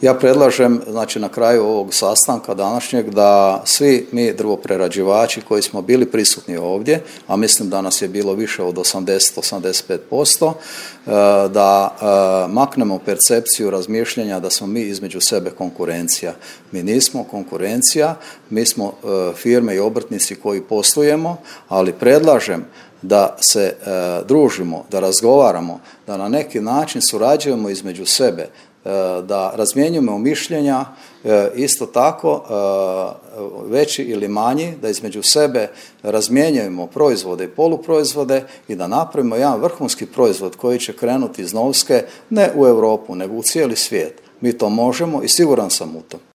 Ja predlažem, znači na kraju ovog sastanka današnjeg, da svi mi drvoprerađivači koji smo bili prisutni ovdje, a mislim da nas je bilo više od 80-85%, da maknemo percepciju razmišljanja da smo mi između sebe konkurencija. Mi nismo konkurencija, mi smo firme i obrtnici koji poslujemo, ali predlažem da se družimo, da razgovaramo, da na neki način surađujemo između sebe, da razmjenjujemo mišljenja, isto tako veći ili manji, da između sebe razmjenjujemo proizvode i poluproizvode i da napravimo jedan vrhunski proizvod koji će krenuti iz Novske ne u Europu nego u cijeli svijet. Mi to možemo i siguran sam u to.